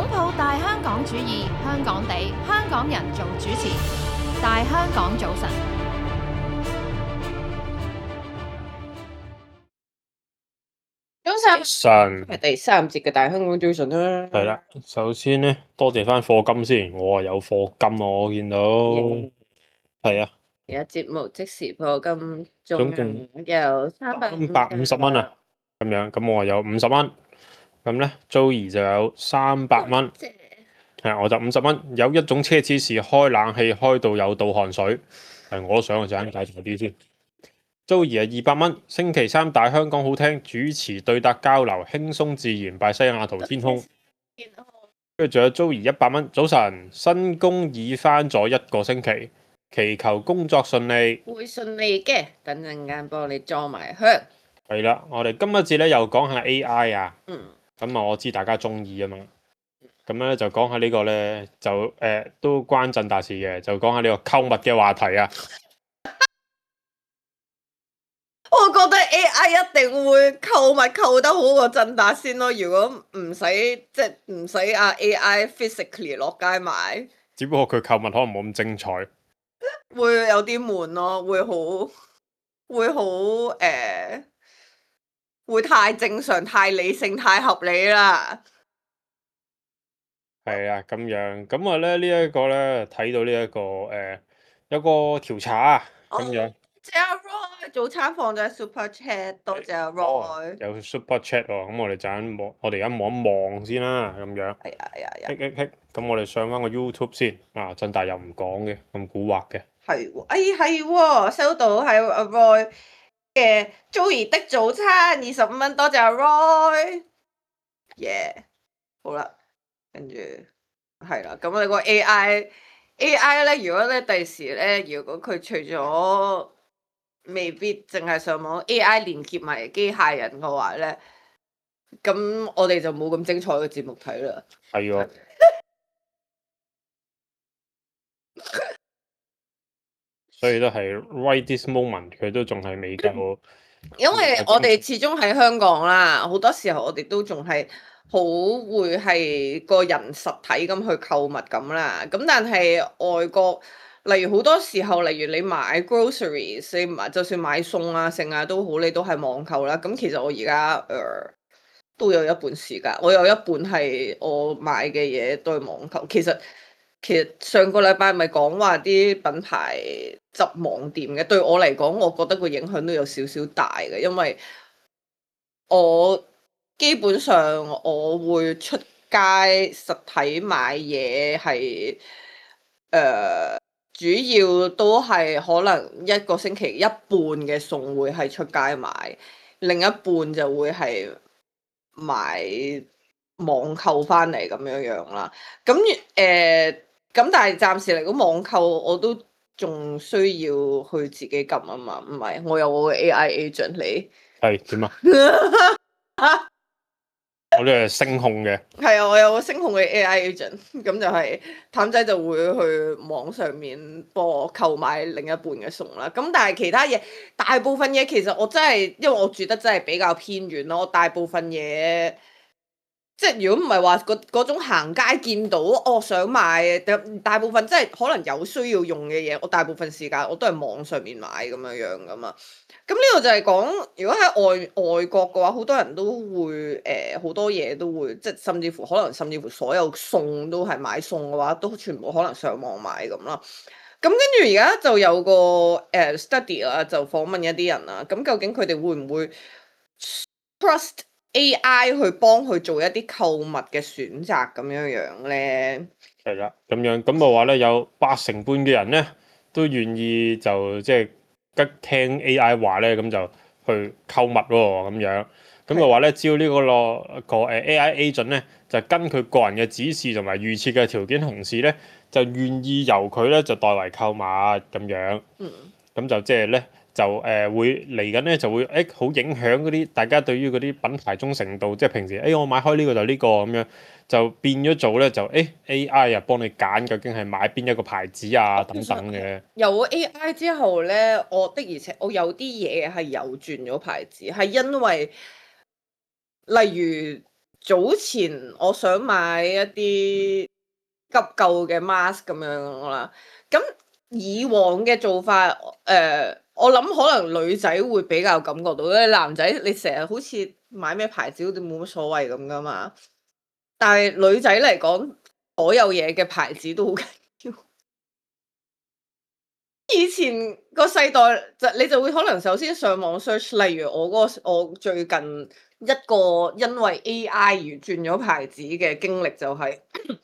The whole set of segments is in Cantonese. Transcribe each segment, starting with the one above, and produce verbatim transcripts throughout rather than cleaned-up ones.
擁抱大香港主義，香港地，香港人做主持，大香港早晨。早晨，神係第三節嘅大香港早晨啦。係啦，首先咧多謝翻課金先，我啊有課金啊，我見到係啊，而家節目即時課金，總仲共有三百三百五十蚊啊，咁樣咁我啊有五十蚊，咁咧 Joey 就有三百蚊，係我就五十蚊。有一種奢侈是開冷氣開到有倒汗水，係我都想我陣間介紹啲先。Joey 係二百蚊，星期三大香港好聽，主持對答交流，輕鬆自然，拜西雅圖天空。跟住仲有 Joey 一百蚊，早晨，新工已返咗一個星期，祈求工作順利。會順利嘅，等陣間幫你裝埋香。係啦，我哋今一節咧又講下 A I 啊，嗯，咁啊我知大家中意啊嘛，咁咧就講下呢個咧就誒、呃、都關震大事嘅，就講下呢個購物嘅話題啊。我覺得 A I 一定會購物購得好過振達先咯。如果唔使即係唔使啊 A I physically 落街買，只不過佢購物可能冇咁精彩，會有啲悶咯，會好會好誒、呃，會太正常、太理性、太合理啦。係啊咁樣，咁啊咧呢一個咧睇到呢、這、一個誒、呃、有個調查啊咁樣。謝阿 Roy 早餐放咗喺 Super Chat，多謝阿 Roy。有 Super Chat 喎，咁我哋就咁望，我哋而家望一望先啦，咁樣。係啊係啊係啊。嘿嘿嘿，咁我哋上翻個 YouTube 先。啊，振大又唔講嘅，咁蠱惑嘅。係喎，哎係喎，收到係阿 Roy 嘅 Joey 的早餐二十五蚊，多謝阿 Roy。耶，好啦，跟住係啦，咁我哋個 A I A I 咧，如果咧第時咧，如果佢除咗未必淨係上網 A I 連結埋機械人嘅話咧，咁我哋就冇咁精彩嘅節目睇啦。係喎。所以都係 right this moment，佢都仲係未夠。因為我哋始終喺香港啦，好多時候我哋都仲係好會係個人實體咁去購物咁啦。咁但係外國，例如好多時候，例如你買 groceries，你買就算買餸啊、剩啊都好，你都係網購啦。咁其實我而家誒都有一半時間，我有一半係我買嘅嘢都係網購。其實其實上個禮拜咪講話啲品牌執網店嘅，對我嚟講，我覺得個影響都有少少大嘅，因為我基本上我會出街實體買嘢係誒，主要都係可能一個星期一半嘅餸會係出街買，另一半就會係買網購翻嚟咁樣樣啦。咁誒。呃咁但係暫時嚟講，網購我都仲需要去自己撳啊嘛，唔係我有我嘅 A I agent 你係點啊？我呢係聲控嘅。係啊，我有個聲控嘅 A I agent，咁就係譚仔就會去網上面幫我購買另一半嘅餸啦。咁但係其他嘢，大部分嘢其實我真係因為我住得真係比較偏遠咯，我大部分嘢。即係如果唔係話嗰嗰種行街見到我想買，大部分即係可能有需要用嘅嘢，我大部分時間我都係網上面買咁樣樣噶嘛。咁呢個就係講，如果喺外外國嘅話，好多人都會誒好、呃、多嘢都會，即係甚至乎可能甚至乎所有餸都係買餸嘅話，都全部可能上網買咁啦。咁跟住而家就有個誒、呃、study 啦，就訪問一啲人啦。咁究竟佢哋會唔會 trust A I 去幫佢做一啲購物嘅選擇咁樣樣咧？係啦，咁樣咁嘅話咧，有八成半嘅人咧都願意就即係跟聽 A I 話咧，咁就去購物喎咁樣。咁嘅話咧，只要呢個咯個誒 A I agent 咧，就跟佢個人嘅指示同埋預設嘅條件同時咧，就願意由佢咧就代為購物咁樣。嗯。咁就即係咧。就誒、呃、會嚟緊咧，就會誒好、欸、影響嗰啲大家對於嗰啲品牌忠誠度，即係平時誒、欸、我買開呢個就呢個咁樣，就變咗做咧就誒、欸、A I 啊幫你揀究竟係買邊一個牌子啊等等嘅。有 A I 之後咧，我的而且我有啲嘢係有轉咗牌子，係因為例如早前我想買一啲急救嘅 mask 咁樣啦，咁以往嘅做法，誒、呃，我諗可能女仔會比較感覺到咧，男仔你成日好似買咩牌子都冇乜所謂咁噶嘛，但係女仔嚟講，所有嘢嘅牌子都好緊要。以前個世代就你就會可能首先上網 search，例如我嗰、嗰個我最近一個因為 A I 而轉咗牌子嘅經歷就係、係，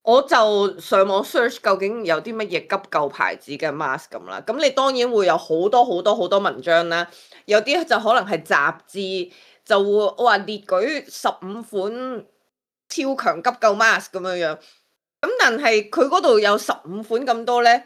我就上網 search 究竟有啲乜嘢急救牌子嘅 mask 咁啦。咁你當然會有好多好多好多文章啦，有啲就可能係雜誌就會我話列舉十五款超強急救 mask 咁樣樣。咁但係佢嗰度有十五款咁多咧。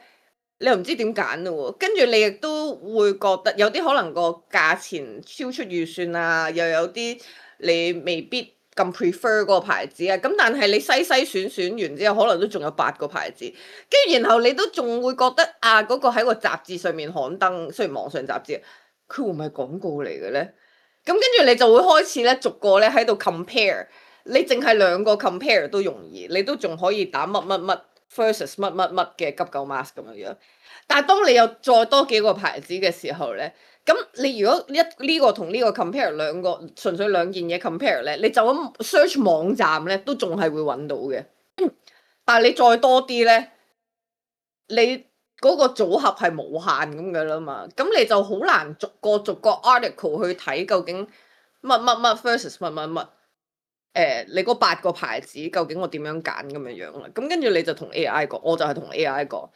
你又唔知點揀咯喎，跟住你亦都會覺得有啲可能個價錢超出預算啊，又有啲你未必咁 prefer 嗰個牌子啊，咁但係你篩篩選選完之後，可能都仲有八個牌子，跟住然後你都仲會覺得啊嗰、嗰個喺個雜誌上面刊登，雖然網上雜誌，佢會唔係廣告嚟嘅咧？咁跟住你就會開始咧逐個咧喺度 compare，你淨係兩個 compare 都容易，你都仲可以打乜乜乜。versus 乜乜乜嘅急救 mask 咁樣樣，但係當你有再多幾個牌子嘅時候咧，咁你如果一呢個同呢個 compare 兩個純粹兩件嘢 compare 咧，你就咁 search 網站咧都仲係會揾到嘅，但係你再多啲咧，你嗰個組合係無限咁嘅啦嘛，咁你就好難逐個逐個 article 去睇究竟乜乜乜 versus 乜乜乜。誒、呃，你嗰八個牌子究竟我點樣揀咁樣樣啦？咁跟住你就同 A I 講，我就係同 A I 講，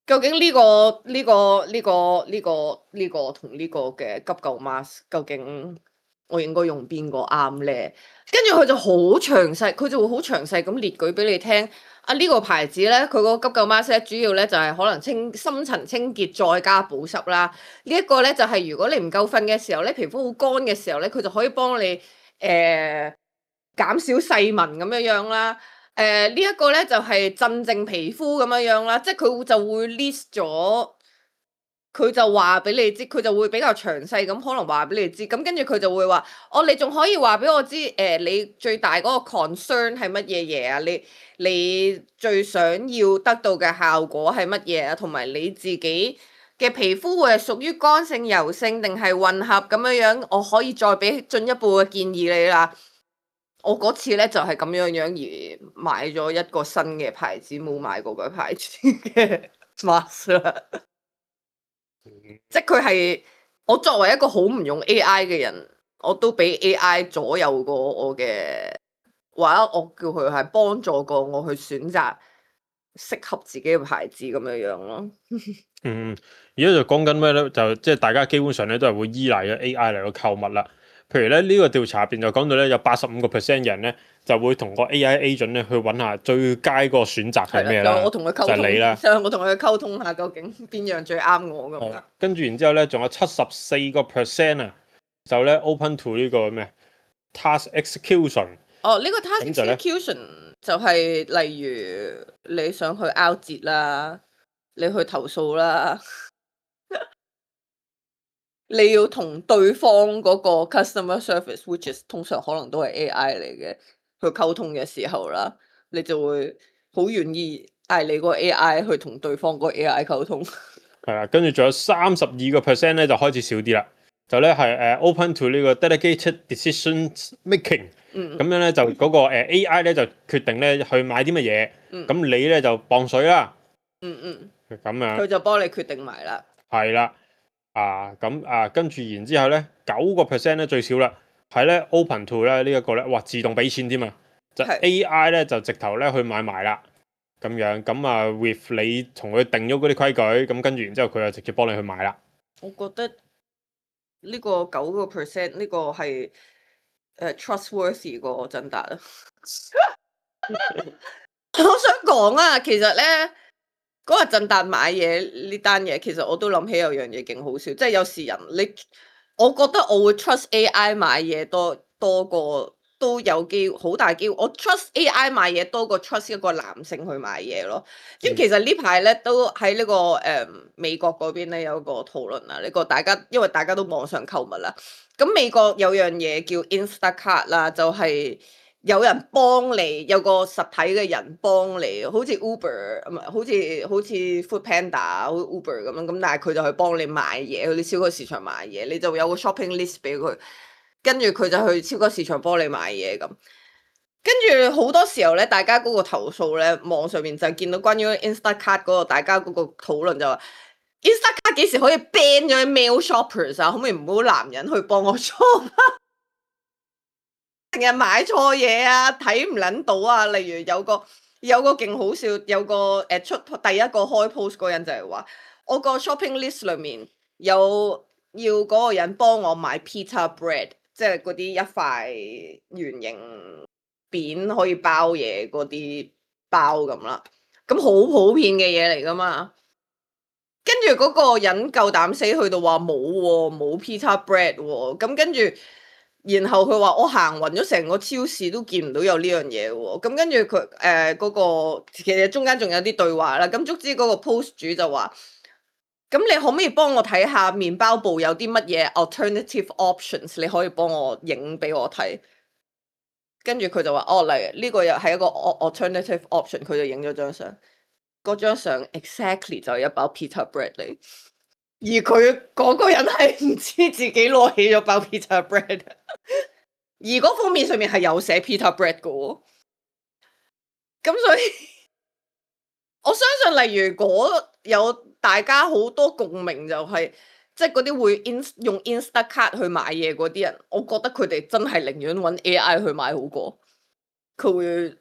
究竟呢、呢個呢、呢個呢、呢個呢、呢個呢、呢個同呢個嘅急救 mask，究竟我應該用邊個啱咧？跟住佢就好詳細，佢就會好詳細咁列舉俾你聽。啊，呢、呢個牌子咧，佢個急救 mask 咧，主要咧就係可能清深層清潔再加保濕啦。呢、呢、一個咧就係如果你唔夠瞓嘅時候咧，皮膚好乾嘅時候咧，佢就可以幫你誒。呃減少細紋咁樣樣啦，誒、呃這個、呢一個咧就係、是、鎮靜皮膚咁樣樣啦，即係佢就會 list 咗，佢就話俾你知，佢就會比較詳細咁可能話俾你知，咁跟住佢就會話，哦，你仲可以話俾我知，誒、呃、你最大嗰個 concern 係乜嘢嘢啊？你你最想要得到嘅效果係乜嘢啊？同埋你自己嘅皮膚會係屬於乾性、油性定係混合咁樣樣，我可以再俾進一步嘅建議你啦。我嗰次咧就係、是、咁樣樣而買咗一個新嘅牌子，冇買過個牌子嘅 mask 啦。即係佢係我作為一個好唔用 A I 嘅人，我都俾 A I 左右過我嘅，或者我叫佢係幫助過我去選擇適合自己嘅牌子咁樣樣咯。嗯，而家就講緊咩咧？就即係大家基本上咧都係會依賴咗 A I 嚟去購物啦。譬如咧呢、這個調查入邊就講到咧有八十五個 percent 人咧就會同個 A I agent 咧去揾下最佳嗰個選擇係咩啦。我同佢溝通，就係你啦。我同佢溝通下究竟邊樣最啱我咁樣。跟住然之後咧，仲有七十四個 percent 啊，就咧 open to 呢個咩 task execution。哦，呢、這個 task execution 就係例如你想去 out 折啦，你去投訴啦。你要同對方嗰個 customer service，which is 通常可能都係 A I 嚟嘅，去溝通嘅時候啦，你就會好願意嗌你個 A I 去同對方個 A I 溝通。係啊，跟住仲有三十二個 percent 咧就開始少啲啦，就咧係誒 open to 呢個 dedicated decision making。嗯。咁樣咧就嗰個誒 A I 咧就決定咧去買啲乜嘢，咁、嗯、你咧就磅水啦。嗯嗯。咁樣。佢就幫你決定埋啦。係啦。啊咁啊，跟住然之後咧，九個 percent 咧最少啦，係咧 open to 咧呢一個咧，哇自動俾錢添啊，就 A I 咧就直頭咧去買埋啦，咁樣咁啊 with 你同佢定咗嗰啲規矩，咁跟住然之後佢就直接幫你去買啦。我覺得呢個九個 percent 呢個係誒 trustworthy 過振達啊。我想講啊，其實咧。嗰日振達買嘢呢單嘢，其實我都諗起有樣嘢勁好笑，即係有時人你，我覺得我會 trust A I 買嘢多多過都有機會好大機會，我 trust A I 買嘢多過 trust 一個男性去買嘢咯。咁其實呢排咧都喺呢、這個誒、呃、美國嗰邊咧有個討論啊，呢、這個大家因為大家都網上購物啦，咁美國有樣嘢叫 Instacart 啦，就係、是。有人幫你，有個實體嘅人幫你，好似 Uber 唔係，好似好似 Food Panda、好似 Uber 咁樣，咁但係佢就去幫你買嘢，去啲超級市場買嘢，你就有個 shopping list 俾佢，跟住佢就去超級市場幫你買嘢咁。跟住好多時候咧，大家嗰個投訴咧，網上面就見到關於 Instacart 嗰個大家嗰個討論就話 Instacart 幾時可以 ban 咗啲 male shoppers 啊？可唔可以唔好男人去幫我 shop 啊？成日買錯嘢啊，睇唔撚到啊！例如有個有個勁好笑，有個誒、呃、出第一個開 post 嗰人就係話，我個 shopping list 裏面有要嗰個人幫我買 pita bread，即係嗰啲一塊圓形扁可以包嘢嗰啲包咁啦，咁好普遍嘅嘢嚟噶嘛。跟住嗰個人夠膽死去到話冇喎，冇 pita bread 喎，咁跟住。然後佢話我行勻咗成個超市都見唔到有呢樣嘢喎，咁跟住佢誒嗰個其實中間仲有啲對話啦，咁足之嗰個 post 主就話，咁你可唔可以幫我睇下麵包部有啲乜嘢 alternative options，你可以幫我影俾我睇。跟住佢就話哦，嚟呢個又係一個 alternative option，佢就影咗張相，嗰張相 exactly 就係一包 pita bread 嚟。而佢嗰個人係唔知自己攞起咗包 pita bread， 而嗰封面上面係有寫 pita bread 嘅喎。咁所以我相信，例如果有大家好多共鳴，就係即係嗰啲會 in 用 Instacart 去買嘢嗰啲人，我覺得佢哋真係寧願揾 A I 去買好過。佢會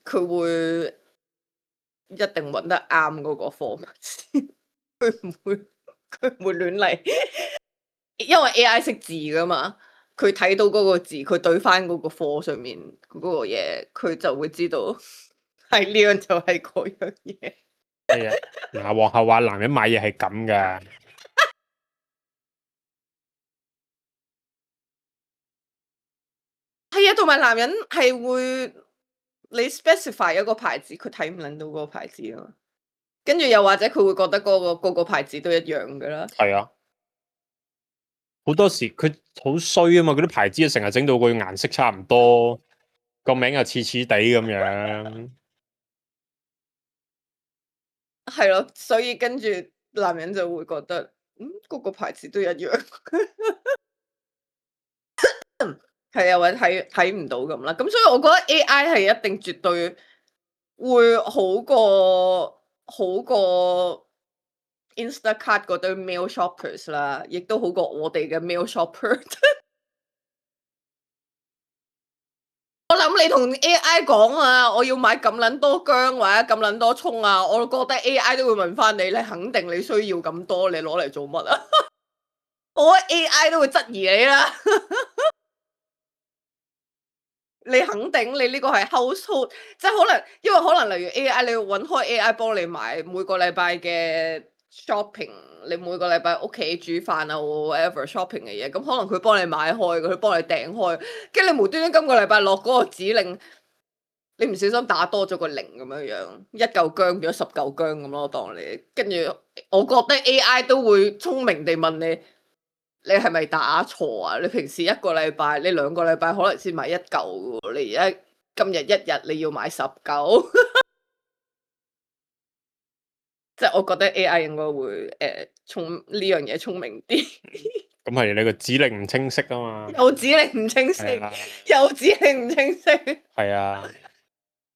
佢會一定揾得啱嗰個貨物先，佢唔會。佢唔會亂嚟，因為 A I 識字噶嘛，佢睇到嗰個字，佢對翻嗰個貨上面嗰個嘢，佢就會知道係呢樣就係嗰樣嘢。係啊，嗱，皇后話男人買嘢係咁噶，係啊，同埋男人係會你 specify 一個牌子，佢睇唔撚到嗰個牌子啊嘛。跟住又或者佢會覺得嗰、嗰個、嗰個牌子都一樣噶啦。係啊，好多時佢好衰啊嘛，嗰啲牌子成日整到個顏色差唔多，個名又似似地咁樣。係咯，所以跟住男人就會覺得，嗯，嗰、嗰個牌子都一樣。係啊，或者睇睇唔到咁啦。咁所以我覺得 A I 係一定絕對會好過。好過 Instacart 嗰堆 male shoppers 啦，亦都好過我哋嘅 male shopper。我諗你同 A I 講啊，我要買咁撚多薑或者咁撚多葱啊，我覺得 A I 都會問翻你，你肯定你需要咁多，你攞嚟做乜啊？我覺得 A I 都會質疑你啦。你肯定你呢個係 household，即係可能，因為可能例如 A I，你要揾開 A I 幫你買每個禮拜嘅 shopping，你每個禮拜屋企煮飯啊 whatever shopping 嘅嘢，咁可能佢幫你買開，佢幫你訂開，跟住你無端端今個禮拜落嗰個指令，你唔小心打多咗個零咁樣樣，一嚿薑變咗十嚿薑咁咯，當你跟住，我覺得 A I 都會聰明地問你。你係咪打錯啊？你平時一個禮拜，你兩個禮拜可能先買一嚿喎，你而家今日一日你要買十嚿，即係我覺得 A I 應該會誒聰呢樣嘢聰明啲。咁係你個指令唔清晰啊嘛。又指令唔清晰，又指令唔清晰。係啊，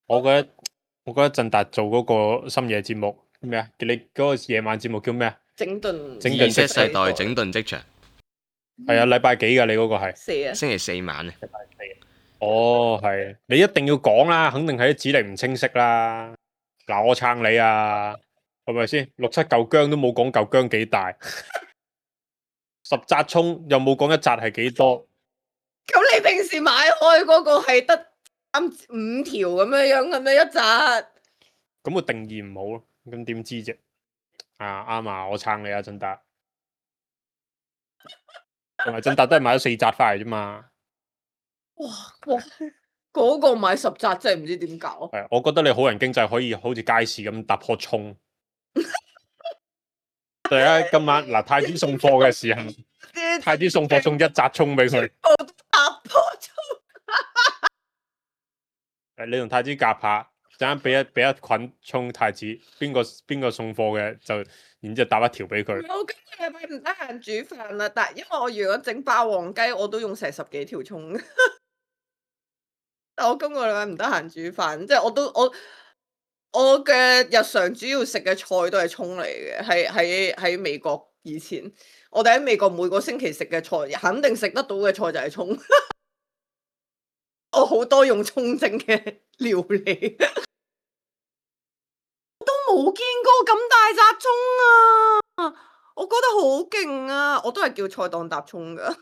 我覺得我覺得振達做嗰個深夜節目咩啊？你嗰個夜晚節目叫咩啊？整頓整頓Z世代整頓職場。係啊，禮拜幾噶？你嗰個係四啊，星期四晚啊。哦，係，你一定要講啦，肯定係啲指令唔清晰啦。嗱，我撐你啊，係咪先？六七嚿薑都冇講嚿薑幾大，十紮葱又冇講一紮係幾多。咁你平時買開嗰個係得三五條咁樣樣嘅咩一紮？咁個定義唔好咯，咁點知啫？啊啱啊，我撐你啊，振達。同埋振達都係買咗四紮翻嚟啫嘛。哇哇！嗰、嗰個買十紮真係唔知點搞。係，我覺得你好人經濟可以好似街市咁搭棵葱。大家今晚嗱太子送貨嘅時候，太子送貨送一紮葱俾佢。搭棵葱。誒，你同太子夾下，陣間俾一俾一捆葱太子，邊個邊個送貨嘅就，然之後搭一條俾佢。我今個禮拜唔得閒煮飯啦，但係因為我如果整霸王雞，我都用成十幾條葱。但我今個禮拜唔得閒煮飯，即係我都我我嘅日常主要食嘅菜都係葱嚟嘅，係喺喺美國以前，我哋喺美國每個星期食嘅菜，肯定食得到嘅菜就係葱。我好多用葱整嘅料理，都冇見過咁大紮葱啊！我覺得好勁啊！我都係叫菜檔搭葱噶，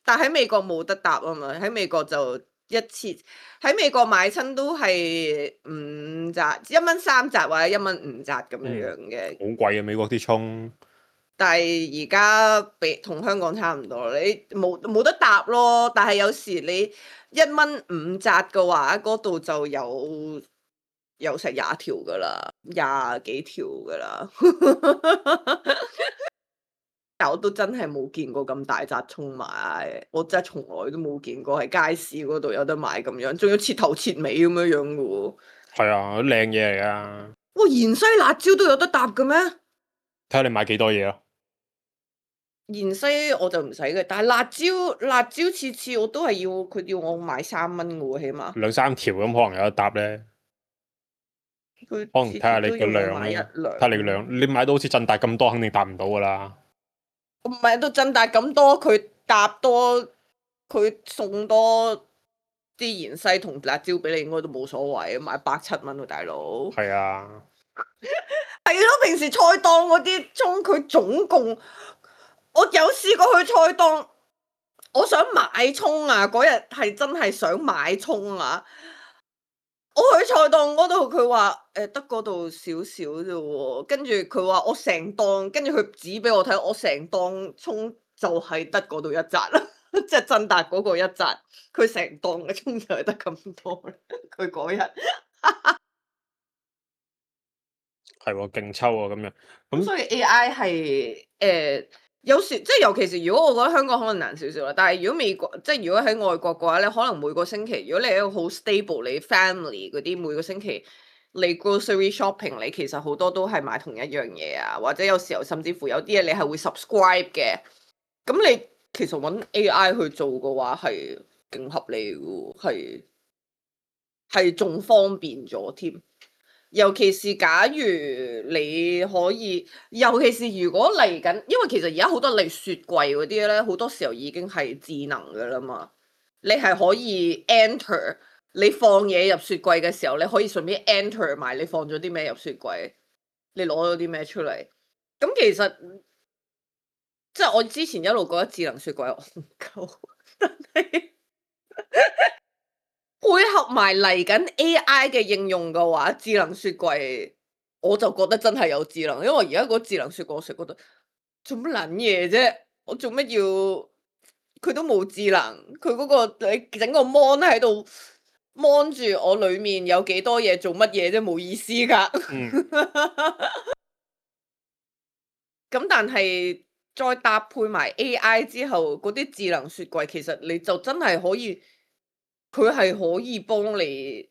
但喺美國冇得搭啊嘛，喺美國就一次喺美國買親都係五紮，一蚊三紮或者一蚊五紮咁樣樣嘅。好貴啊！美國啲葱。但係而家比同香港差唔多，你冇冇得搭咯。但係有時你一蚊五紮嘅話，嗰度就有有成廿條噶啦，廿幾條噶啦。但我都真係冇見過咁大紮葱買，我真係從來都冇見過喺街市嗰度有得買咁樣，仲要切頭切尾咁樣樣嘅喎。係啊，靚嘢嚟噶。哇！芫茜辣椒都有得搭嘅咩？睇下你買幾多嘢咯。芫茜我就唔使嘅，但係辣椒辣椒次次我都係要佢要我買三蚊嘅喎，起碼兩三條咁可能有得搭咧。佢可能睇下你個量買一咧，兩睇下你個量，你買到好似振達咁多，肯定搭唔到噶啦。唔係到振達咁多，佢搭多佢送多啲芫茜同辣椒俾你，應該都冇所謂，買百七蚊喎，大佬。係啊，係咯，平時菜檔嗰啲葱，佢總共。我有試過去菜檔，我想買葱啊！嗰日係真係想買葱啊！我去菜檔嗰度，佢話誒得嗰度少少啫喎，跟住佢話我成檔，跟住佢指俾我睇，我成檔葱就係得嗰度一紮啦，即係振達嗰個一紮，佢成檔嘅葱就係得咁多啦。佢嗰日係喎，勁抽喎咁樣。咁所以 A I 係誒。呃有時即係尤其是如果我覺得香港可能難少少啦，但係如果美國即係如果喺外國嘅話咧，可能每個星期如果你係一個好 stable 你 family 嗰啲每個星期你 grocery shopping 你其實好多都係買同一樣嘢啊，或者有時候甚至乎有啲嘢你係會 subscribe 嘅，咁你其實揾 A I 去做嘅話係勁合理嘅，係係仲方便咗添。尤其是假如你可以，尤其是如果嚟緊，因為其實而家好多例如雪櫃嗰啲咧，好多時候已經係智能㗎啦嘛。你係可以 enter 你放嘢入雪櫃嘅時候，你可以順便 enter 埋你放咗啲咩入雪櫃，你攞咗啲咩出嚟。咁其實即係我之前一路覺得智能雪櫃唔夠，但係配合埋嚟緊 A I 嘅應用嘅話，智能雪櫃我就覺得真係有智能，因為而家個智能雪櫃我成日覺得做乜撚嘢啫？我做乜要佢都冇智能？佢嗰個你整個 mon 喺度 mon 住我裡面有幾多嘢做乜嘢啫？冇意思㗎。咁、嗯、但係再搭配埋 A I 之後，嗰啲智能雪櫃其實你就真係可以。佢係可以幫你，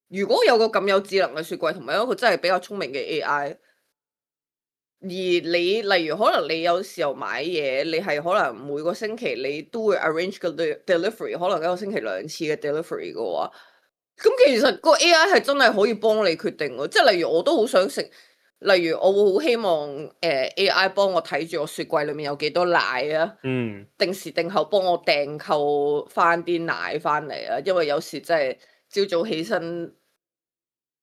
如果有個咁有智能嘅雪櫃，同埋一個真係比較聰明嘅 A I，而你例如可能你有時候買嘢，你係可能每個星期你都會 arrange 個 delivery，可能一個星期兩次嘅 delivery 嘅話，咁其實個 A I 係真係可以幫你決定喎。即係例如我都好想食。例如我會好希望誒、呃、A I 幫我睇住我雪櫃裏面有幾多奶啊，嗯，定時定候幫我訂購翻啲奶翻嚟啊，因為有時真係朝早起身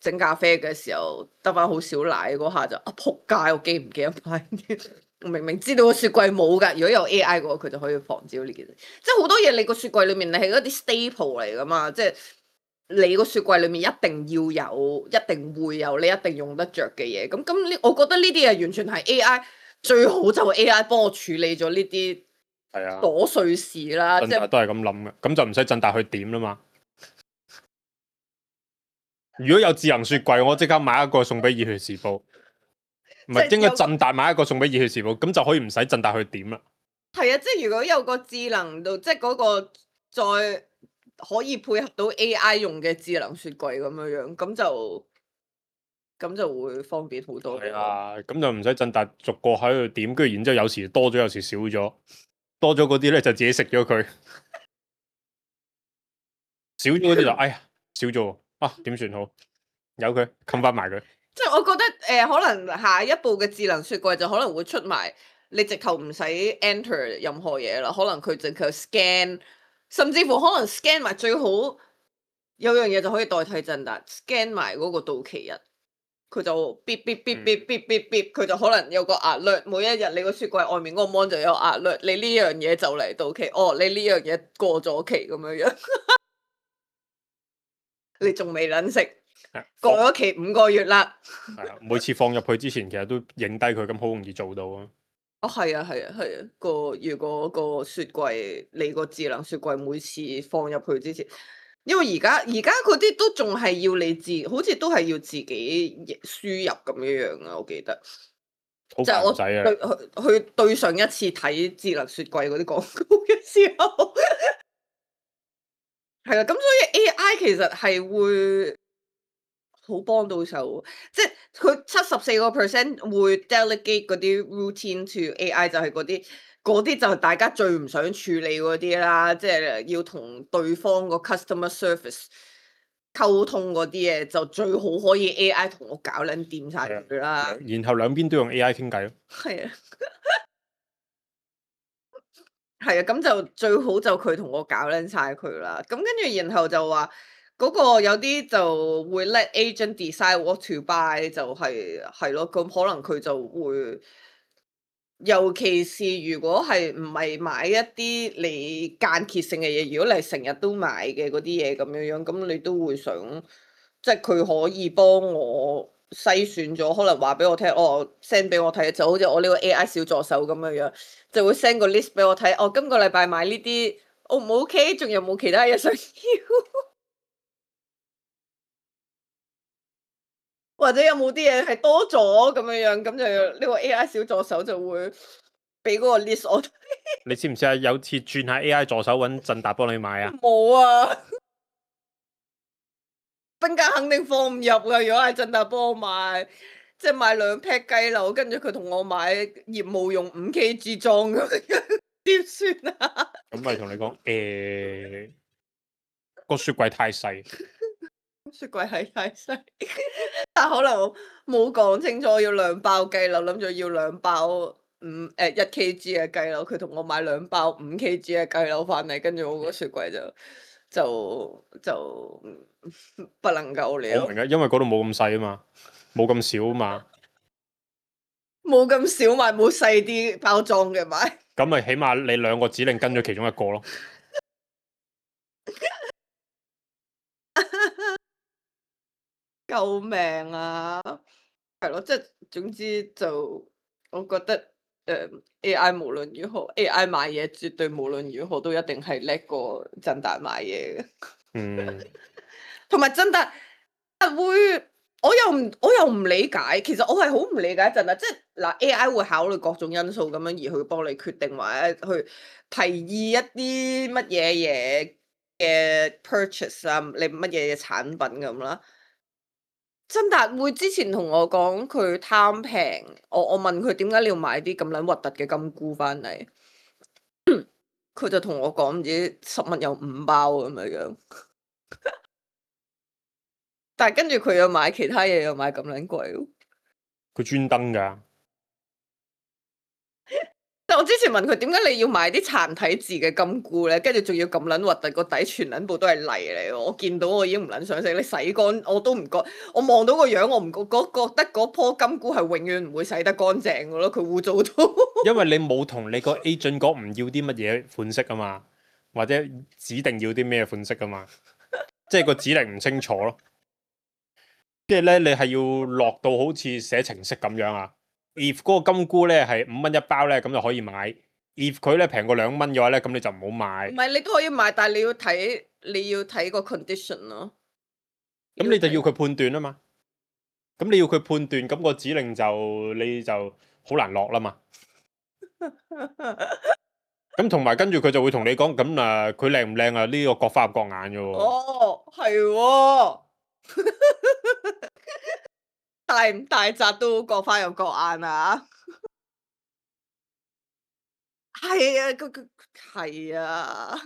整咖啡嘅時候得翻好少奶嗰下就啊仆街，我記唔記得買啲？我明明知道個雪櫃冇㗎，如果有 A I 嘅話，佢就可以防止呢件事。即係好多嘢你個雪櫃裏面你係嗰啲 staple 嚟㗎嘛，即係。你個雪櫃裏面一定要有，一定會有，你一定用得着嘅嘢。咁咁呢？我覺得呢啲嘢完全係 A I 最好就係 A I 幫我處理咗呢啲係啊瑣碎事啦。即係都係咁諗嘅，咁就唔使振達去點啦嘛。如果有智能雪櫃，我即刻買一個送俾《熱血時報》，唔係應該振達買一個送俾《熱血時報》，咁就可以唔使振達去點啦。係啊，即係如果有個智能度，即係嗰個再。可以配合到 A I 用嘅智能雪櫃咁樣樣，咁就咁就會方便好多。係啊，咁就唔使震達逐個喺度點，跟住然之後有時多咗，有時少咗，多咗嗰啲咧就自己食咗佢，少咗嗰啲就哎呀少咗啊，點算好？由佢冚翻埋佢。即係我覺得誒、呃，可能下一步嘅智能雪櫃就可能會出埋，你直頭唔使 enter 任何嘢啦，可能佢直頭 scan，甚至乎可能 scan 埋最好有樣嘢就可以代替震達 scan 埋嗰個到期日，佢就 bip bip bip bip bip bip bip，佢就可能有個 alert，每一日你個雪櫃外面嗰個 mon 就有 alert，你呢樣嘢就嚟到期，哦，你呢樣嘢過咗期咁樣樣，你仲未撚食？過咗期五個月啦，係啊，每次放入去之前，其實都影低佢，咁好容易做到啊。哦，係啊，係啊，係啊，個如果個雪櫃你個智能雪櫃每次放入去之前，因為而家而家嗰啲都仲係要你自，好似都係要自己輸入咁樣樣啊，我記得。好就係我煩仔啊！對去去對上一次睇智能雪櫃嗰啲廣告嘅時候，係啊，咁所以 A I 其實係會好幫到手，即係佢七十四個 percent 會 delegate 嗰啲 routine to A I，就係嗰啲嗰啲就係大家最唔想處理嗰啲啦，即係要同對方個 customer service 溝通嗰啲嘢，就最好可以 A I 同我搞撚掂晒佢啦。然後兩邊都用 A I 傾偈咯。係啊，係啊，咁就最好就佢同我搞撚晒佢啦。咁跟住然後就話。嗰個有啲就會 let agent decide what to buy，就係係咯，咁可能佢就會，尤其是如果係唔係買一啲你間歇性嘅嘢，如果你係成日都買嘅嗰啲嘢咁樣樣，咁你都會想，即係佢可以幫我篩選咗，可能話俾我聽，哦 send 俾我睇，就好似我呢個 A I 小助手咁樣樣，就會 send 個 list 俾我睇，哦，今個禮拜買呢啲 O 唔 OK，仲有冇其他嘢想要？或者有冇啲嘢係多咗咁樣樣，咁就呢個 A I 小助手就會俾嗰個 list 我睇。你知唔知啊？有次轉下 A I 助手揾振達幫你買啊？冇啊，冰格肯定放唔入噶。如果係振達幫我買，即係買兩 pack 雞柳，跟住佢同我買業務用五 K G 裝咁樣，點算啊？咁咪同你講，誒個雪櫃太細。雪櫃係太細，但可能冇講清楚要兩包雞柳，諗住要兩包五誒一 K G 嘅雞柳，佢同我買兩包五 K G 嘅雞柳翻嚟，跟住我個雪櫃就就就不能夠了。我明啊，因為嗰度冇咁細啊嘛，冇咁少啊嘛。冇咁少買，冇細啲包裝嘅買。咁咪起碼你兩個指令跟咗其中一個咯。救命啊！係咯，即係總之就，我覺得誒、呃、A I 無論如何，A I 買嘢絕對無論如何都一定係叻過振達買嘢嘅。嗯，同埋振達會，我又唔我又唔理解，其實我係好唔理解振達，即係嗱 A I 會考慮各種因素咁樣而去幫你決定，或者去提議一啲乜嘢嘢嘅 purchase 啊，你乜嘢嘅產品咁啦。振達會之前同我講佢貪平，我我問佢點解你要買啲咁撚核突嘅金菇翻嚟，佢就同我講唔知十蚊有五包咁樣樣，但係跟住佢又買其他嘢又買咁撚貴，佢專登㗎。但我之前問佢點解你要買啲殘體字嘅金菇咧，跟住仲要咁撚核突，個底全撚部都係泥嚟，我見到我已經唔撚想食，你洗乾我都唔覺，我望到個樣我唔覺覺得嗰棵金菇係永遠唔會洗得乾淨嘅咯，佢污糟到。因為你冇同你個 agent 講唔要啲乜嘢款式啊嘛，或者指定要啲咩款式啊嘛，即係個指令唔清楚咯。即係咧，你係要落到好似寫程式咁樣啊。if 嗰個金菇咧係五蚊一包咧，咁就可以買。if 佢咧平過兩蚊嘅話咧，咁你就唔好買。唔係你都可以買，但係你要睇你要睇個 condition 咯。咁你就要佢判斷啊嘛。咁你要佢判斷，咁個指令就你就好難落啦嘛。咁同埋跟住佢就會同你講，咁啊佢靚唔靚啊？呢、個各花入各眼嘅喎。哦，係喎，大唔大扎都各花入各眼啊！係啊，佢佢係啊，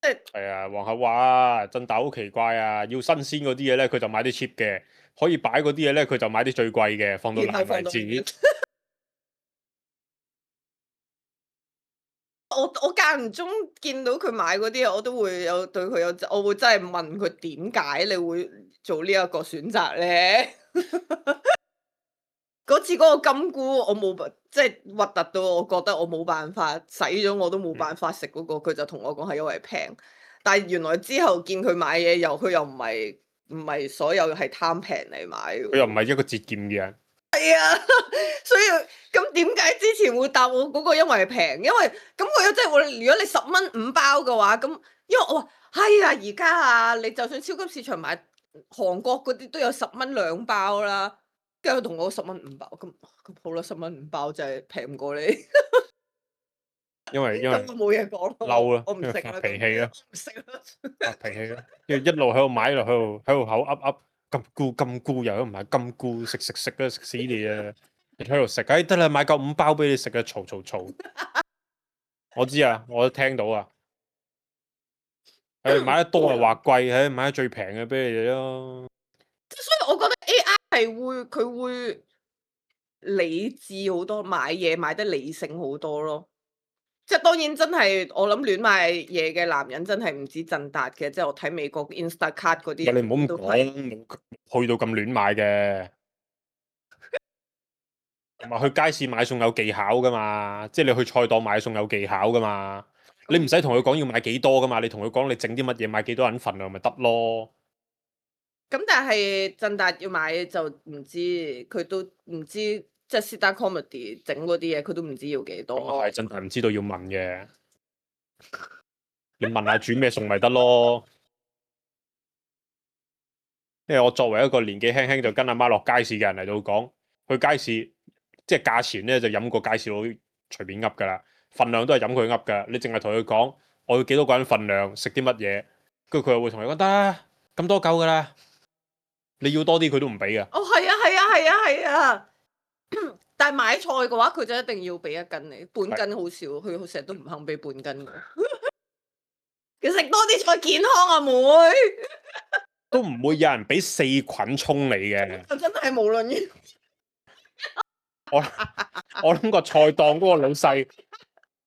即係係啊，皇后話啊，振達好奇怪啊，要新鮮嗰啲嘢咧，佢就買啲 cheap 嘅；可以擺嗰啲嘢咧，佢就買啲最貴嘅，放到爛然後放到為止。我我間唔中見到佢買嗰啲嘢，我都會有對佢有，我會真係問佢點解你會做呢一個選擇咧？嗰次嗰個金菇，我冇辦，即係核突到我覺得我冇辦法洗咗，我都冇辦法食嗰個。佢就同我講係因為平，但係原來之後見佢買嘢又佢又唔係唔係所有係貪平嚟買嘅。佢又唔係一個節儉嘅人。係啊，所以咁點解之前會答我嗰個因為平？因為咁佢有即係會，如果你十蚊五包嘅話，咁因為我話係啊，而家啊，你就算超級市場買韓國嗰啲都有十蚊兩包啦，跟住佢同我十蚊五包，咁咁好啦，十蚊五包就係平唔過你。因為因為咁我冇嘢講咯，嬲啦，我唔食啦，發脾氣啦，唔食啦。發脾氣啦，跟住一路喺度買，一路喺度喺度口噏噏金菇金菇，又唔係金菇，食食食啊，食死你啊！你喺度食，哎得啦，買夠五包俾你食啊，嘈嘈嘈！我知啊，我都聽到啊。誒買得多啊話貴，誒買得最平嘅俾你哋咯。所以我覺得 A I 係會佢會理智好多，買嘢買得理性好多咯。即係當然真係我諗亂買嘢嘅男人真係唔止振達嘅，即係我睇美國 Instacart 嗰啲，喂，你唔好咁都係講，冇去到咁亂買嘅。同埋去街市買餸有技巧噶嘛，即係你去菜檔買餸有技巧噶嘛。你唔使同佢講要買幾多噶嘛，你同佢講你整啲乜嘢，買幾多人份量咪得咯。咁但係振達要買就唔知，佢都唔知，即係 Sit-down comedy 整嗰啲嘢，佢都唔知要幾多。咁係真係唔知道要問嘅，你問下煮咩餸咪得咯。因為我作為一個年紀輕輕就跟阿媽落街市嘅人嚟到講，去街市即係價錢咧就飲個街市佬隨便噏噶啦，份量都係飲佢噏噶。你淨係同佢講我要幾多個人份量，食啲乜嘢，跟住佢又會同你講得啦，咁多夠噶啦。你要多啲佢都唔俾噶。哦，係啊，係啊，係啊，係啊。但係買菜嘅話，佢就一定要俾一斤你，半斤好少，佢成日都唔肯俾半斤我。佢食多啲菜健康啊，妹。都唔會有人俾四捆葱你嘅。我真係無論於我我諗個菜檔嗰個老細，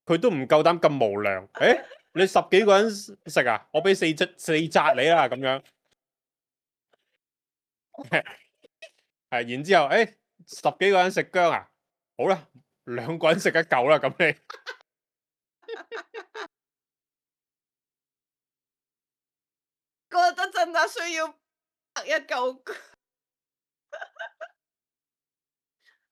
佢都唔夠膽咁無良。誒、欸，你十幾個人食啊？我俾四隻四紮你啦，咁樣。係，然之後誒、欸，十幾個人食薑啊？好啦，兩個人食一嚿啦，咁你。覺得真係需要拍一嚿。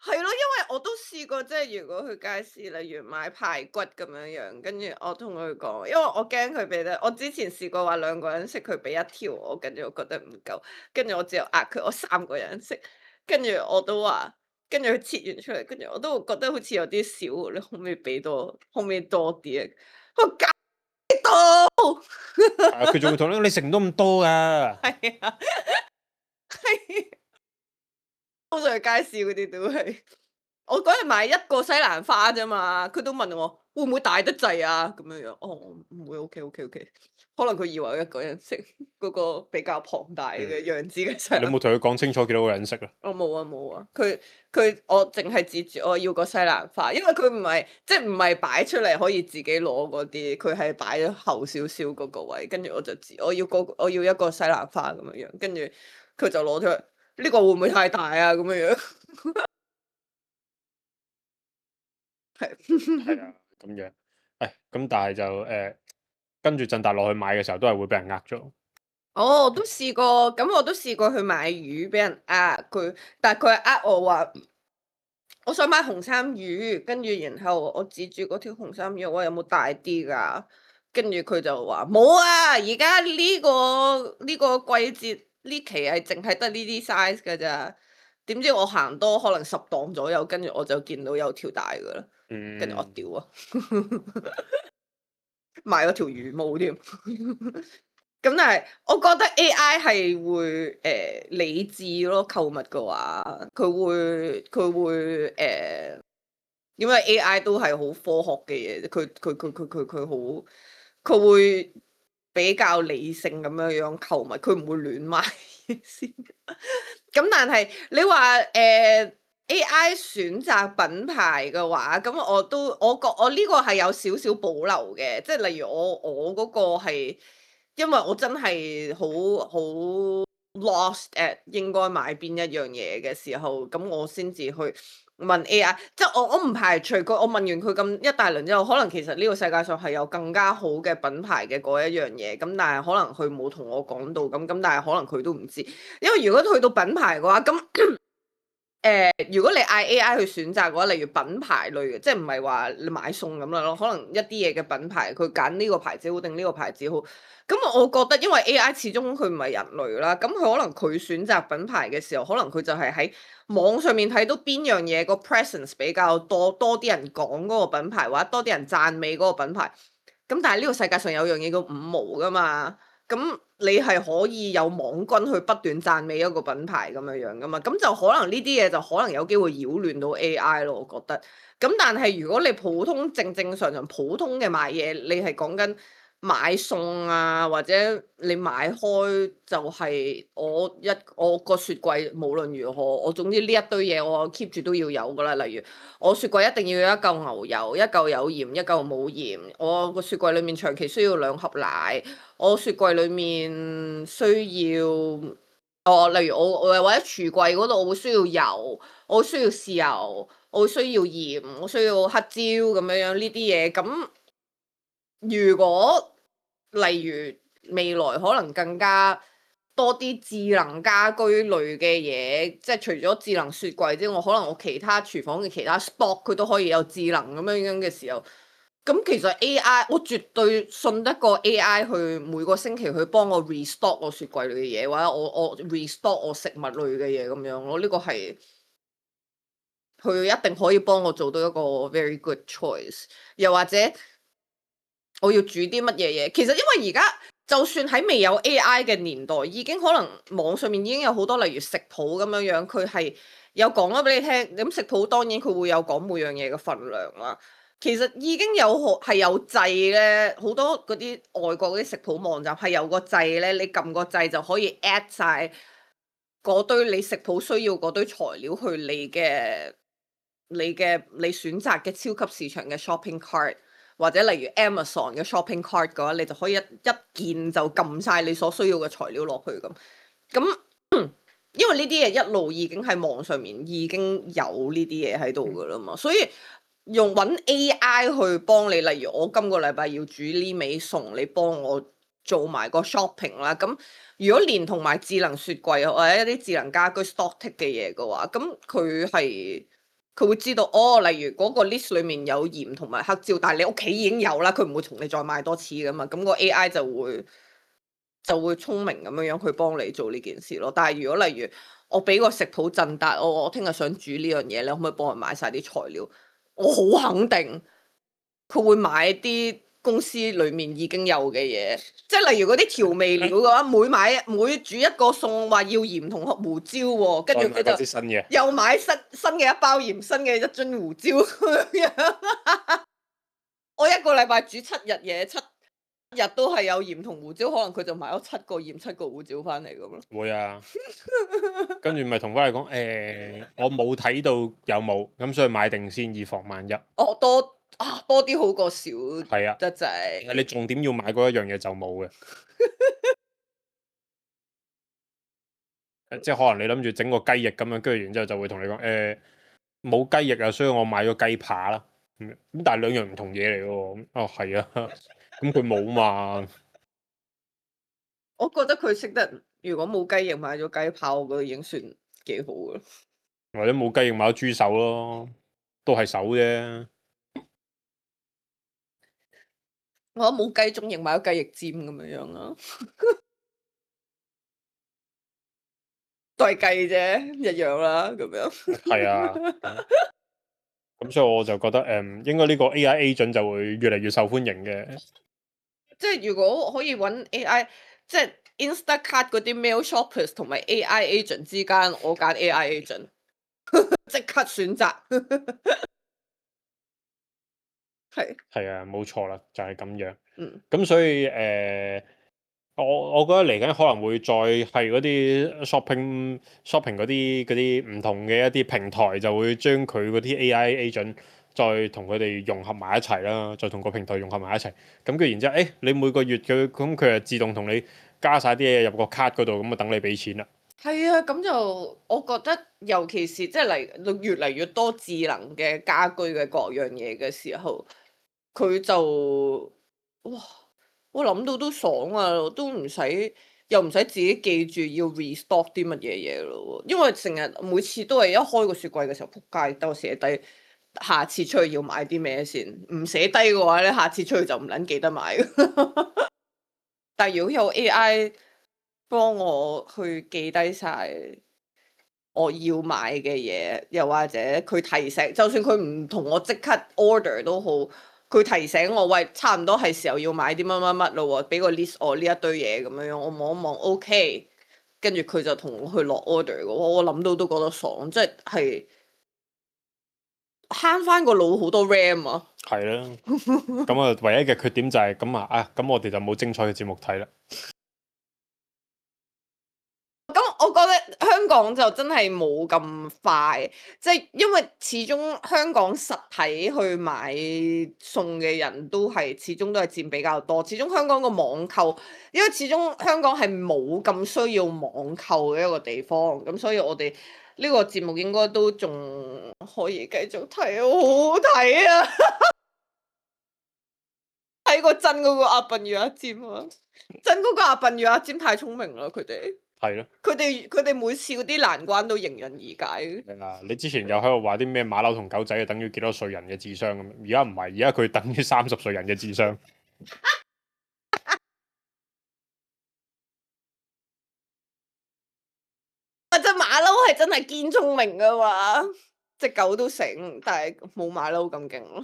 係咯，因為我都試過，即係如果去街市，例如買排骨咁樣樣，跟住我同佢講，因為我驚佢俾得，我之前試過話兩個人食，佢俾一條我，跟住我覺得唔夠，跟住我只有呃佢，我三個人食，跟住我都話，跟住佢切完出嚟，跟住我都覺得好似有啲少，你可唔可以俾多，可唔可以多啲啊？我搞到，佢仲會同你講你食唔到咁多噶。係啊，係。通常去街市嗰啲都係，我嗰日買一個西蘭花啫嘛，佢都問我會唔會大得滯啊？咁樣樣，哦，唔會 OK OK OK，可能佢以為我一個人食嗰個比較龐大嘅樣子嘅西蘭花。你有冇同佢講清楚幾多個人食啊？我冇啊冇啊，佢佢我淨係指住我要個西蘭花，因為佢唔係即係唔係擺出嚟可以自己攞嗰啲，佢係擺咗後少少嗰個位，跟住我就指我要個我要一個西蘭花咁樣樣，跟住佢就攞出嚟。呢個會唔會太大啊？咁樣樣係係啊，咁樣。誒，咁但係就誒、呃，跟住振達落去買嘅時候，都係會俾人呃咗。哦，我都試過，咁我都試過去買魚，俾人呃佢，但係佢係呃我話，我想買紅衫魚，跟住然後我指住嗰條紅衫魚，我話有冇大啲㗎？跟住佢就話冇啊，而家呢個呢個季節呢期係淨係得呢啲 size 㗎咋。點知我行多可能十檔左右，跟住我就見到有條大噶啦，跟住我嗯，屌啊，買咗條魚毛添。咁但係我覺得 A I 係會誒、呃、理智咯，購物嘅話，佢會佢會誒、呃，因為 A I 都係好科學嘅嘢，佢佢佢佢佢佢好，佢會比較理性咁樣樣購物，佢唔會亂買先。咁但係你話誒、呃、A I 選擇品牌嘅話，咁我都我覺我呢個係有少少保留嘅，即係例如我我嗰個係。因為我真係好好 lost at 應該買邊一樣嘢嘅時候，咁我先至去問 A I，即係我我唔排除佢，我問完佢咁一大輪之後，可能其實呢個世界上係有更加好嘅品牌嘅嗰一樣嘢，咁但係可能佢冇同我講到，咁咁但係可能佢都唔知，因為如果去到品牌嘅話，咁。誒、呃，如果你嗌 A I 去選擇嘅話，例如品牌類嘅，即係唔係話你買餸咁樣咯，可能一啲嘢嘅品牌，佢揀呢個牌子好定呢個牌子好，咁我覺得因為 A I 始終佢唔係人類啦，咁佢可能佢選擇品牌嘅時候，可能佢就係喺網上面睇到邊樣嘢個 presence 比較多，多啲人講嗰個品牌，或者多啲人讚美嗰個品牌，咁但係呢個世界上有樣嘢叫五毛噶嘛。咁你係可以有網軍去不斷讚美一個品牌咁樣樣噶嘛？咁就可能呢啲嘢就可能有機會擾亂到 A I 咯，我覺得。咁但係如果你普通正正常常普通嘅買嘢，你係講緊買餸啊，或者你買開就係我一我個雪櫃無論如何，我總之呢一堆嘢我 keep 住都要有噶啦。例如我雪櫃一定要有一嚿牛油，一嚿有鹽，一嚿冇鹽。我個雪櫃裡面長期需要兩盒奶。我雪櫃裡面需要，哦，例如我我或者櫥櫃嗰度，我會需要油，我需要豉油，我需要鹽，我需要黑椒咁樣樣呢啲嘢。咁如果例如未來可能更加多啲智能家居類嘅嘢，即係除咗智能雪櫃之外，可能我其他廚房嘅其他 spot 佢都可以有智能咁樣樣嘅時候。咁其實 A I 我絕對信得過 A I 去每個星期去幫我 restock 我雪櫃裏嘅嘢，或者我我 restock 我食物類嘅嘢咁樣，我呢個係佢一定可以幫我做到一個 very good choice。又或者我要煮啲乜嘢嘢，其實因為而家就算喺未有 A I 嘅年代，已經可能網上面已經有好多例如食譜咁樣樣，佢係有講咗俾你聽。咁食譜當然佢會有講每樣嘢嘅份量啦。其實已經有好係有掣咧，好多嗰啲外國嗰啲食譜網站係有個掣咧，你撳個掣就可以 at 晒嗰堆你食譜需要嗰堆材料去你嘅你嘅你選擇嘅超級市場嘅 shopping cart，或者例如 Amazon 嘅 shopping cart 嘅話，你就可以一一鍵就撳晒你所需要嘅材料落去咁。咁因為呢啲嘢一路已經喺網上面已經有呢啲嘢喺度噶啦嘛，所以。用揾 A I 去幫你，例如我今個禮拜要煮呢味餸，你幫我做埋個 shopping 啦。咁如果連同埋智能雪櫃或者一啲智能家居 stock take 嘅嘢嘅話，咁佢係佢會知道哦。例如嗰個 list 裡面有鹽同埋黑椒，但係你屋企已經有啦，佢唔會同你再買多次噶嘛。咁個 A I 就會就會聰明咁樣樣去幫你做呢件事咯。但係如果例如我俾個食譜陣達，我我聽日想煮呢樣嘢，你可唔可以幫我買晒啲材料？我好肯定佢會買啲公司裡面已經有嘅嘢，即係例如嗰啲調味料嘅話，每買每煮一個餸話要鹽同胡椒喎，跟住佢就新嘅，又買新新嘅一包鹽，新嘅一樽胡椒咁樣。我一個禮拜煮七日嘢，七日都係有鹽同胡椒，可能佢就買咗七個鹽、七個胡椒翻嚟咁咯。會啊，跟住咪同翻嚟講，誒，我冇睇到有冇，咁所以買定先，以防萬一。哦，多啊，多啲好過少，係啊，得滯。你重點要買嗰一樣嘢就冇嘅，即係可能你諗住整個雞翼咁樣，跟住然之後就會同你講，誒，冇雞翼啊，所以我買咗雞扒啦。咁咁但係兩樣唔同嘢嚟嘅喎。哦，係啊，咁佢冇嘛。我覺得佢識得，如果冇雞翼買咗雞扒，我覺得已經算幾好嘅。或者冇雞翼買咗豬手咯，都係手啫。我覺得冇雞中翼買咗雞翼尖咁樣樣啦。都係計啫，一樣啦，咁樣。係啊，咁所以我就覺得誒、嗯，應該呢個 A I agent 就會越嚟越受歡迎嘅。即係如果可以揾 A I，即係 Instacart 嗰啲 mail shoppers 同埋 A I agent 之間，我揀 A I agent，即刻選擇。係係啊，冇錯啦，就係、是、咁樣。嗯。咁所以誒、呃，我我覺得嚟緊可能會再係嗰啲 shopping shopping 嗰啲嗰啲唔同嘅一啲平台，就會將佢嗰啲 A I agent 再同佢哋融合埋一齊啦，再同個平台融合埋一齊。咁跟住然之後，誒、欸、你每個月佢咁佢就自動同你加晒啲嘢入個卡嗰度，咁啊等你俾錢啦。係啊，咁就我覺得，尤其是即係嚟越嚟越多智能嘅家居嘅各樣嘢嘅時候，佢就哇，我諗到都爽啊，都唔使又唔使自己記住要 restock 啲乜嘢嘢咯，因為成日每次都係一開個雪櫃嘅時候，撲街，等我寫低下次出去要買啲咩先，唔寫低嘅話咧，下次出去就唔撚記得買。但係如果有 A I 幫我去記低晒我要買嘅嘢，又或者佢提醒，就算佢唔同我即刻 order 都好，佢提醒我，喂，差唔多係時候要買啲乜乜乜咯喎，俾個 list 我呢一堆嘢咁樣樣，我望一望 OK，跟住佢就同我去落 order 嘅，我諗到都覺得爽，即係慳翻個腦好多 RAM 啊！係啦，咁啊，唯一嘅缺點就係咁啊，啊，咁我哋就冇精彩嘅節目睇啦。咁我覺得香港就真係冇咁快，即係因為始終香港實體去買餸嘅人都係始終都係佔比較多。始終香港個網購，因為始終香港係冇咁需要網購嘅一個地方，咁所以我哋呢個節目應該都仲可以繼續睇，好好睇啊！睇過真嗰個阿笨與阿尖啊，真嗰個阿笨與阿尖太聰明啦，佢哋。係咯，佢哋佢哋每次嗰啲難關都迎刃而解。係啊，你之前又喺度話啲咩馬騮同狗仔係等於幾多歲人嘅智商咁，而家唔係，而家佢等於三十歲人嘅智商。啊！隻馬騮係真係堅聰明噶嘛，隻狗都醒，但係冇馬騮咁勁咯。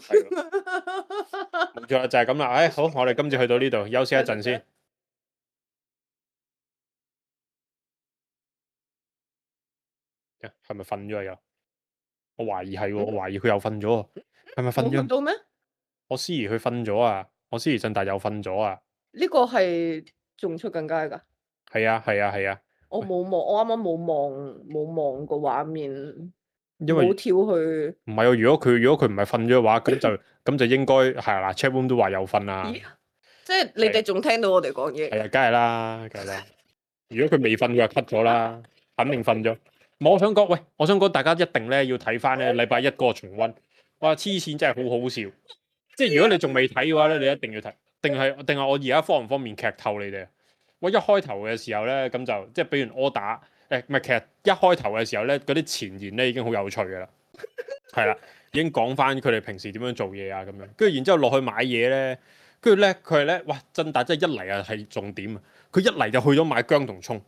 冇錯啦，就係咁啦。唉，好，我哋今次去到呢度，休息一陣先。係咪瞓咗啊？又，我懷疑係喎，我懷疑佢又瞓咗啊。係咪瞓咗？冇瞓到咩？我思怡佢瞓咗啊，我思怡振達又瞓咗啊。呢個係仲出緊街噶？係啊，係啊，係啊。我冇望，我啱啱冇望冇望個畫面，因為冇跳去。唔係啊，如果佢如果佢唔係瞓咗嘅話，咁就咁就應該係啦。chat room 都話有瞓啊。即係你哋仲聽到我哋講嘢？係啊，梗係啦，梗係啦。如果佢未瞓，佢就 cut 咗啦，肯定瞓咗。我想講，喂，我想講，大家一定咧要睇翻咧禮拜一嗰個重溫。哇，黐線真係好好笑。即係如果你仲未睇嘅話咧，你一定要睇。定係定係我而家方唔方便劇透你哋？我一開頭嘅時候咧，咁就即係俾完 order，誒唔係，其實一開頭嘅時候咧，嗰啲前言咧已經好有趣㗎啦。係啦，已經講翻佢哋平時點樣做嘢啊咁樣。跟住然之後落去買嘢咧，跟住咧佢係咧，哇！振達真係一嚟啊係重點啊！佢一嚟就去咗買薑同葱。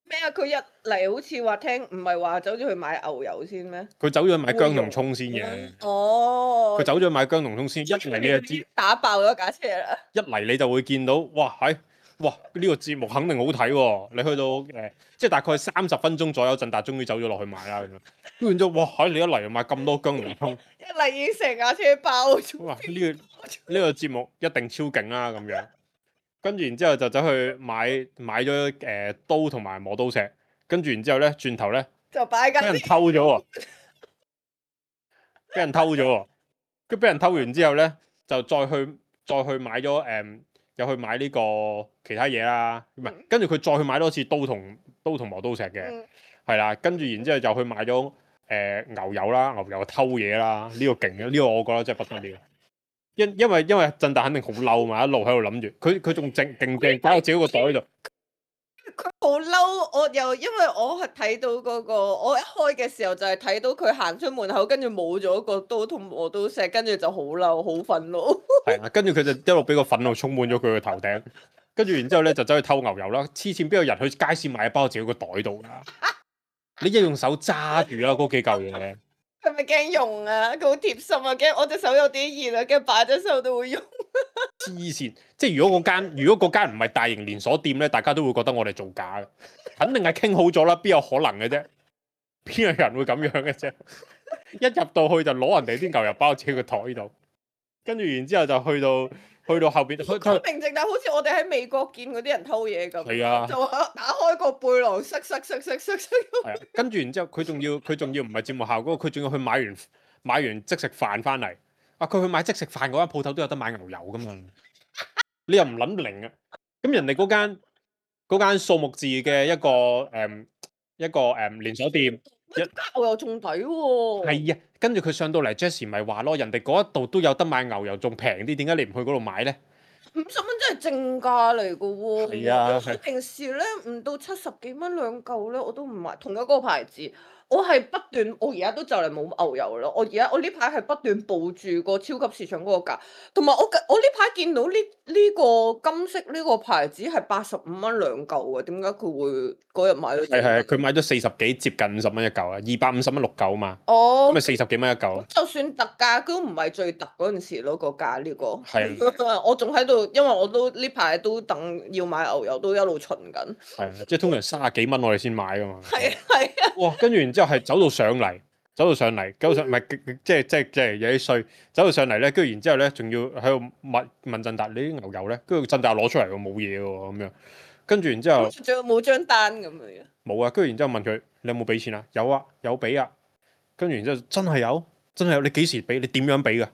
咩啊？佢一嚟好似話聽，唔係話走咗去買牛油先咩？佢走咗去買薑同葱先嘅。哦。佢走咗去買薑同葱先，一嚟你就知打爆咗架車啦。一嚟你就會見到，哇係，哇呢、這個節目肯定好睇喎、哦！你去到誒、呃，即係大概三十分鐘左右，振達終於走咗落去買啦咁樣。跟住之後，哇喺你一嚟就買咁多薑同葱，一嚟已經成架車爆咗。哇！呢、這個呢、這個節目一定超勁啦咁樣。跟住然之後就走去買買咗誒、呃、刀同埋磨刀石，跟住然之後咧轉頭咧就擺緊，俾人偷咗喎，俾人偷咗喎，跟俾人偷完之後咧就再去再去買咗誒、呃，又去買呢個其他嘢啦，唔係，跟住佢再去買多次刀同刀同磨刀石嘅，係、嗯、啦，跟住然之後就去買咗誒、呃、牛油啦，牛油偷嘢啦，呢、這個勁嘅，呢、這個我覺得真係不得了。因因為因為振達肯定好嬲嘛，一路喺度諗住，佢佢仲正勁正擺喺自己個袋度。佢好嬲，我又因為我係睇到嗰、那個，我一開嘅時候就係睇到佢行出門口，跟住冇咗個刀同磨刀石，跟住就好嬲，好憤怒。係啊，跟住佢就一路俾個憤怒充滿咗佢個頭頂，跟住然之後咧就走去偷牛油啦。黐線邊有人去街市買一包自己個袋度㗎？你一用手揸住啦嗰幾嚿嘢。佢咪驚用啊？佢好貼心啊，驚我隻手有啲熱啊，驚擺咗手都會用。黐線！即係如果嗰間如果嗰間唔係大型連鎖店咧，大家都會覺得我哋做假嘅，肯定係傾好咗啦，邊有可能嘅啫？邊有人會咁樣嘅啫？一入到去就攞人哋啲牛油包自己個台度，跟住然之後就去到去到後邊，佢佢明正，但好似我哋喺美國見嗰啲人偷嘢咁。係啊，就打開個背囊，塞塞塞塞塞塞。係啊，跟住然之後佢仲要佢仲要唔係節目效果，佢仲要去買完買完即食飯翻嚟。啊，佢去買即食飯嗰間鋪頭都有得買牛油噶嘛？你又唔諗零啊？咁人哋嗰間嗰間數目字嘅一個誒、嗯、一個誒、嗯、連鎖店，牛油仲抵喎。係啊，跟住佢上到嚟 Jessie 咪話咯，人哋嗰一度都有得買牛油，仲平啲，點解你唔去嗰度買咧？五十蚊真係正價嚟噶喎。係啊，我平時咧唔到七十幾蚊兩嚿咧，我都唔買同一個牌子。我係不斷，我而家都就嚟冇牛油咯。我而家我呢排係不斷報住個超級市場嗰個價，同埋我我呢排見到呢呢、呢個金色呢個牌子係八十五蚊兩嚿啊！點解佢會嗰日買咗？係係，佢買咗四十幾，接近五十蚊一嚿啊，二百五十蚊六嚿啊嘛。哦，咁咪四十幾蚊一嚿。就算特價都唔係最特嗰陣時咯，個價呢、呢個。係。我仲喺度，因為我都呢排都等要買牛油，都一路巡緊。係啊，即係通常三十幾蚊我哋先買噶嘛。係啊係啊。哇！跟住然之後係走到上嚟，走到上嚟，走上唔係即係即係即係有啲衰，走到上嚟咧，跟住然之後咧，仲要喺度問問振達你啲牛油咧，跟住振達攞出嚟喎，冇嘢喎咁樣。跟住然之後，仲有冇張單咁樣？冇啊！跟住然之後問佢你有冇俾錢啊？有啊，有俾啊。跟住然之後真係有，真係有。你幾時俾？你點樣俾㗎？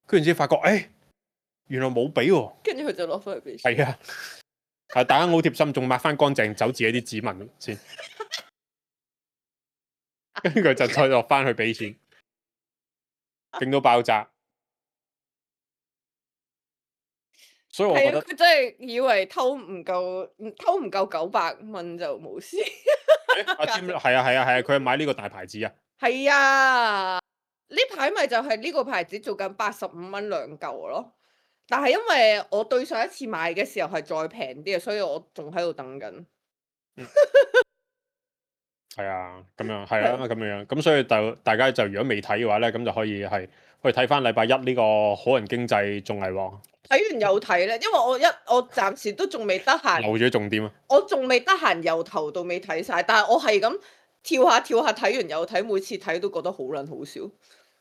跟住先發覺，誒、哎、原來冇俾喎。跟住佢就攞翻去俾。係啊，係大家好貼心，仲抹翻乾淨走自己啲指紋先。跟住佢就再落翻去俾錢，勁到爆炸。所以我覺得佢真係以為偷唔夠，偷唔夠九百蚊就冇事。阿占係啊係啊係啊，佢係買呢個大牌子啊。係啊，呢排咪就係呢個牌子做緊八十五蚊兩嚿咯。但係因為我對上一次買嘅時候係再平啲啊，所以我仲喺度等緊。嗯係啊，咁樣係啊，咁樣咁，所以就大家就如果未睇嘅話咧，咁就可以係去睇翻禮拜一呢個好人經濟綜藝喎。睇完又睇咧，因為我一我暫時都仲未得閒。漏咗重點啊！我仲未得閒由頭到尾睇晒，但係我係咁跳下跳下睇完又睇，每次睇都覺得好撚好笑，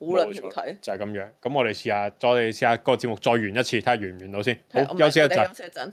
好撚好睇。就係咁樣。咁我哋試下，再試下個節目再完一次，睇下完唔完到先。好，休息一陣。休息一陣。